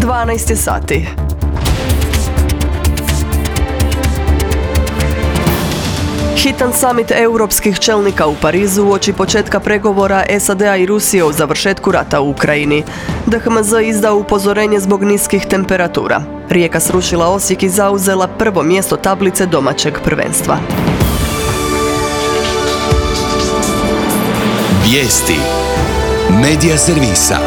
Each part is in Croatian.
12 sati. Hitan samit europskih čelnika u Parizu uoči početka pregovora SAD-a i Rusije o završetku rata u Ukrajini. DHMZ izdao upozorenje zbog niskih temperatura. Rijeka srušila Osijek i zauzela prvo mjesto tablice domaćeg prvenstva. Vijesti Medija servisa.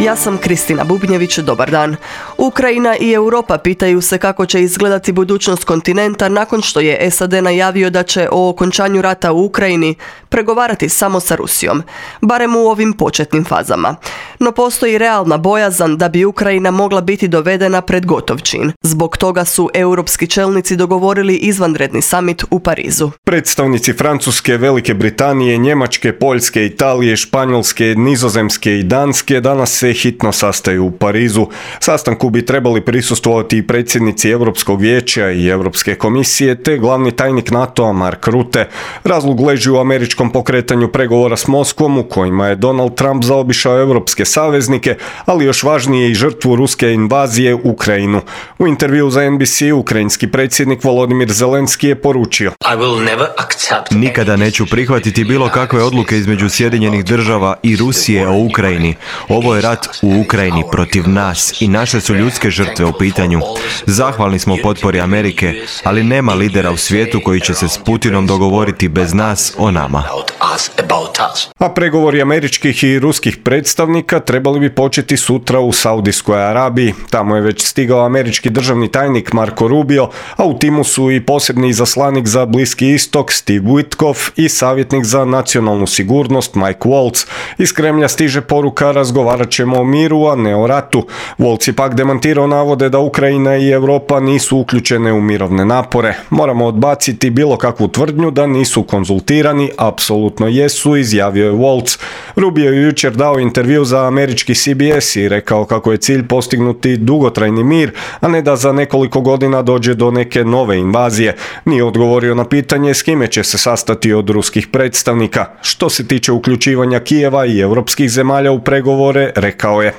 Ja sam Kristina Bubnjević, dobar dan. Ukrajina i Europa pitaju se kako će izgledati budućnost kontinenta nakon što je SAD najavio da će o okončanju rata u Ukrajini pregovarati samo sa Rusijom, barem u ovim početnim fazama. No postoji realna bojazan da bi Ukrajina mogla biti dovedena pred gotov čin. Zbog toga su europski čelnici dogovorili izvanredni samit u Parizu. Predstavnici Francuske, Velike Britanije, Njemačke, Poljske, Italije, Španjolske, Nizozemske i Danske danas se hitno sastaju u Parizu. Sastanku bi trebali prisustvovati i predsjednici Europskog vijeća i Europske komisije te glavni tajnik NATO-a Mark Rutte. Razlog leži u američkom pokretanju pregovora s Moskvom u kojima je Donald Trump zaobišao europske saveznike, ali još važnije i žrtvu ruske invazije u Ukrajinu. U intervju za NBC ukrajinski predsjednik Volodymyr Zelenski je poručio: Nikada neću prihvatiti bilo kakve odluke između Sjedinjenih država i Rusije o Ukrajini. Ovo je rat u Ukrajini protiv nas i naše su ljudske žrtve u pitanju. Zahvalni smo potpori Amerike, ali nema lidera u svijetu koji će se s Putinom dogovoriti bez nas o nama. A pregovori američkih i ruskih predstavnika trebali bi početi sutra u Saudijskoj Arabiji. Tamo je već stigao američki državni tajnik Marco Rubio, a u timu su i posebni izaslanik za Bliski istok Steve Witkoff i savjetnik za nacionalnu sigurnost Mike Waltz. Iz Kremlja stiže poruka: razgovarat ćemo o miru, a ne o ratu. Waltz je pak demantirao navode da Ukrajina i Europa nisu uključene u mirovne napore. Moramo odbaciti bilo kakvu tvrdnju da nisu konzultirani, apsolutno jesu, izjavio je Waltz. Rubio je jučer dao intervju za američki CBS i rekao kako je cilj postignuti dugotrajni mir, a ne da za nekoliko godina dođe do neke nove invazije. Nije odgovorio na pitanje s kime će se sastati od ruskih predstavnika. Što se tiče uključivanja Kijeva i europskih zemalja u pregovore, rekao je: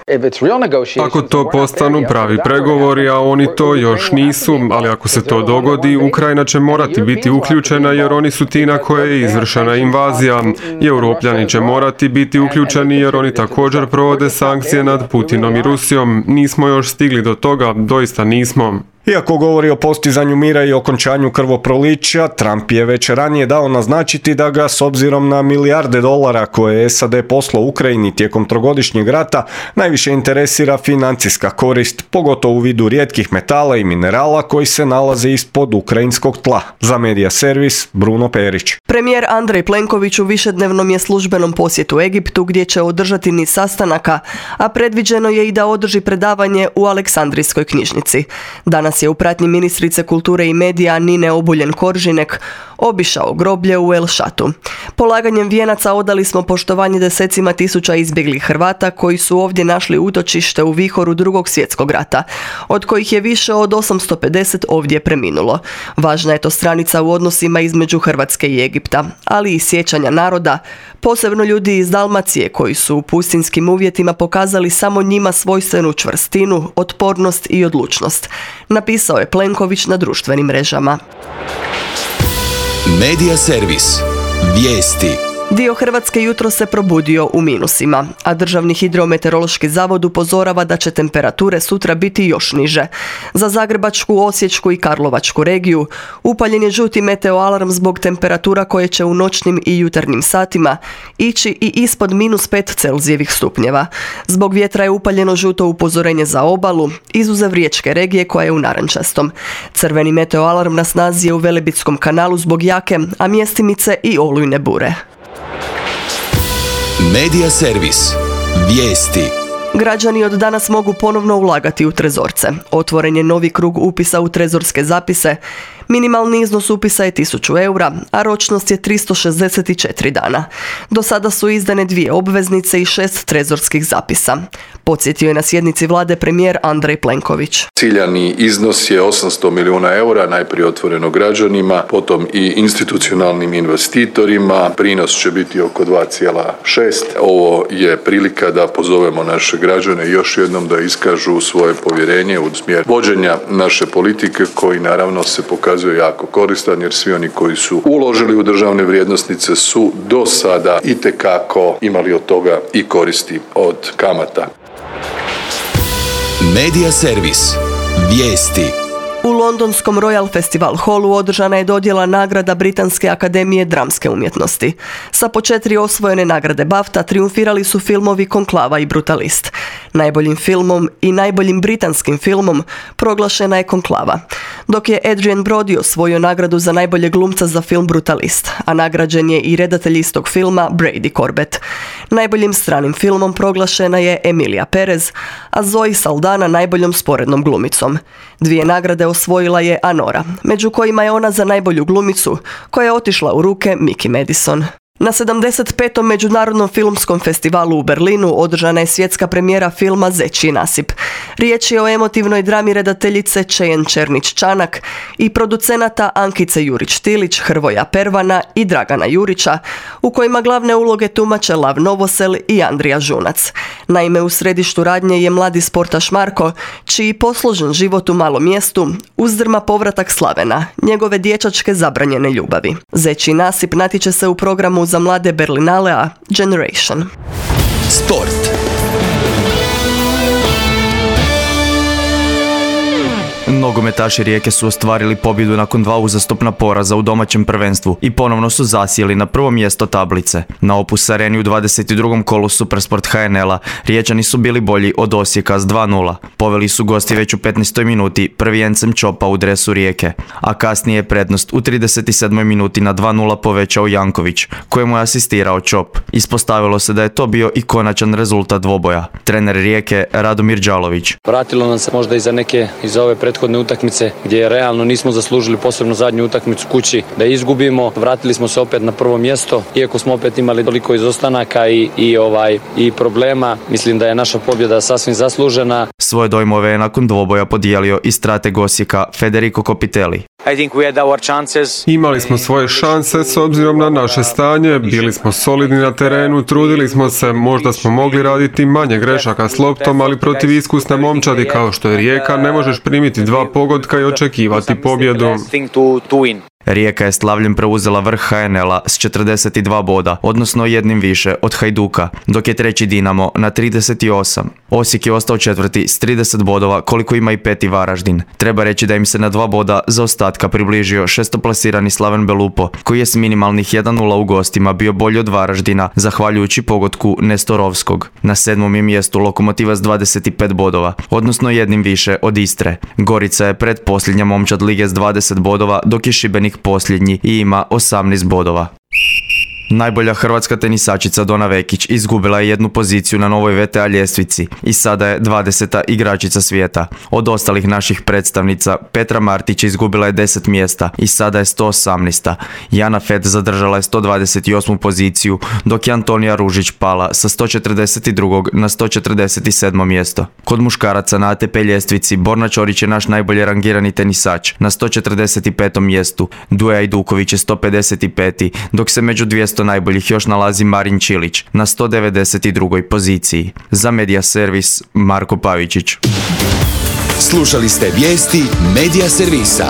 Ako to postanu pravi pregovori, a oni to još nisu, ali ako se to dogodi, Ukrajina će morati biti uključena jer oni su ti na koje je izvršena invazija. I Europljani će morati biti uključeni jer oni također provode sankcije nad Putinom i Rusijom. Nismo još stigli do toga, doista nismo. Iako govori o postizanju mira i okončanju krvoprolića, Trump je već ranije dao naznačiti da ga, s obzirom na milijarde dolara koje je SAD poslao Ukrajini tijekom trogodišnjeg rata, najviše interesira financijska korist, pogotovo u vidu rijetkih metala i minerala koji se nalaze ispod ukrajinskog tla. Za Medija servis, Bruno Perić. Premijer Andrej Plenković u višednevnom je službenom posjetu Egiptu gdje će održati niz sastanaka, a predviđeno je i da održi predavanje u Aleksandrijskoj knjižnici. Danas je u pratnji ministrice kulture i medija Nine Obuljen-Koržinek obišao groblje u El Šatu. Polaganjem vijenaca odali smo poštovanje desecima tisuća izbjeglih Hrvata koji su ovdje našli utočište u vihoru Drugog svjetskog rata, od kojih je više od 850 ovdje preminulo. Važna je to stranica u odnosima između Hrvatske i Egipta, ali i sjećanja naroda, posebno ljudi iz Dalmacije koji su u pustinskim uvjetima pokazali samo njima svojstvenu čvrstinu, otpornost i odlučnost, napisao je Plenković na društvenim mrežama. Medija servis. Vijesti. Dio Hrvatske jutro se probudio u minusima, a Državni hidrometeorološki zavod upozorava da će temperature sutra biti još niže. Za Zagrebačku, Osječku i Karlovačku regiju upaljen je žuti meteoalarm zbog temperatura koje će u noćnim i jutarnjim satima ići i ispod -5 Celzijevih stupnjeva. Zbog vjetra je upaljeno žuto upozorenje za obalu, izuzev riječke regije koja je u narančastom. Crveni meteoalarm na snazi je u Velebitskom kanalu zbog jake, a mjestimice i olujne bure. Medija servis. Vijesti. Građani od danas mogu ponovno ulagati u trezorce. Otvoren je novi krug upisa u trezorske zapise. Minimalni iznos upisa je 1000 eura, a ročnost je 364 dana. Do sada su izdane 2 obveznice i 6 trezorskih zapisa. Podsjetio je na sjednici vlade premijer Andrej Plenković. Ciljani iznos je 800 milijuna eura, najprije otvoreno građanima, potom i institucionalnim investitorima. Prinos će biti oko 2,6. Ovo je prilika da pozovemo naše građane još jednom da iskažu svoje povjerenje u smjer vođenja naše politike, koji naravno se pokazuje jako koristan, jer svi oni koji su uložili u državne vrijednosnice su do sada itekako imali od toga i koristi od kamata. Medija servis. Vijesti. U londonskom Royal Festival Hallu održana je dodjela nagrada Britanske akademije dramske umjetnosti. Sa po 4 osvojene nagrade BAFTA triumfirali su filmovi Konklava i Brutalist. Najboljim filmom i najboljim britanskim filmom proglašena je Konklava, dok je Adrian Brody osvojio nagradu za najboljeg glumca za film Brutalist, a nagrađen je i redatelj istog filma Brady Corbett. Najboljim stranim filmom proglašena je Emilia Perez, a Zoe Saldana najboljom sporednom glumicom. 2 nagrade osvojila je Anora, među kojima je ona za najbolju glumicu, koja je otišla u ruke Miki Madison. Na 75. Međunarodnom filmskom festivalu u Berlinu održana je svjetska premijera filma Zečji nasip. Riječ je o emotivnoj drami redateljice Čejen Černić-Čanak i producenata Ankice Jurić-Tilić, Hrvoja Pervana i Dragana Jurića, u kojima glavne uloge tumače Lav Novosel i Andrija Žunac. Naime, u središtu radnje je mladi sportaš Marko, čiji posložen život u malom mjestu uzdrma povratak Slavena, njegove dječačke zabranjene ljubavi. Zečji nasip natječe se u programu za mlade Berlinalea Generation. Sport. Nogometaši Rijeke su ostvarili pobjedu nakon 2 uzastopna poraza u domaćem prvenstvu i ponovno su zasjeli na prvo mjesto tablice. Na Opus Areni u 22. kolu Supersport HNL-a Riječani su bili bolji od Osijeka s 2:0. Poveli su gosti već u 15. minuti prvi Encem Čopa u dresu Rijeke, a kasnije je prednost u 37. minuti na 2:0 povećao Janković, kojemu je asistirao Čop. Ispostavilo se da je to bio i konačan rezultat dvoboja. Trener Rijeke Radomir Đalović. Vratilo nam se možda iz ove prethodne utakmice gdje realno nismo zaslužili, posebno zadnju utakmicu kući, da izgubimo. Vratili smo se opet na prvo mjesto, iako smo opet imali toliko izostanaka i problema. Mislim da je naša pobjeda sasvim zaslužena. Svoje dojmove je nakon dvoboja podijelio i strateg Osijeka Federico Copitelli. Imali smo svoje šanse s obzirom na naše stanje, bili smo solidni na terenu, trudili smo se, možda smo mogli raditi manje grešaka s loptom, ali protiv iskusne momčadi kao što je Rijeka ne možeš primiti 2 pogotka i očekivati pobjedu. Rijeka je slavljem preuzela vrh HNL-a s 42 boda, odnosno jednim više od Hajduka, dok je treći Dinamo na 38. Osijek je ostao četvrti s 30 bodova, koliko ima i peti Varaždin. Treba reći da im se na 2 boda zaostatka približio šestoplasirani Slaven Belupo, koji je s minimalnih 1:0 u gostima bio bolji od Varaždina, zahvaljujući pogotku Nestorovskog. Na 7. je mjestu Lokomotiva s 25 bodova, odnosno jednim više od Istre. Gorica je pretposljednja momčad lige s 20 bodova, dok je Šibenik posljednji i ima 18 bodova. Najbolja hrvatska tenisačica Dona Vekić izgubila je 1 poziciju na novoj VTA ljestvici i sada je 20. igračica svijeta. Od ostalih naših predstavnica Petra Martić izgubila je 10 mjesta i sada je 118. Jana Fed zadržala je 128. poziciju, dok je Antonija Ružić pala sa 142. na 147. mjesto. Kod muškaraca na ATP ljestvici Borna Ćorić je naš najbolje rangirani tenisač na 145. mjestu, Duja Ajduković je 155. dok se među 200 najboljih još nalazi Marin Čilić na 192. poziciji. Za Medija servis Marko Pavičić. Slušali ste vijesti Medija servisa.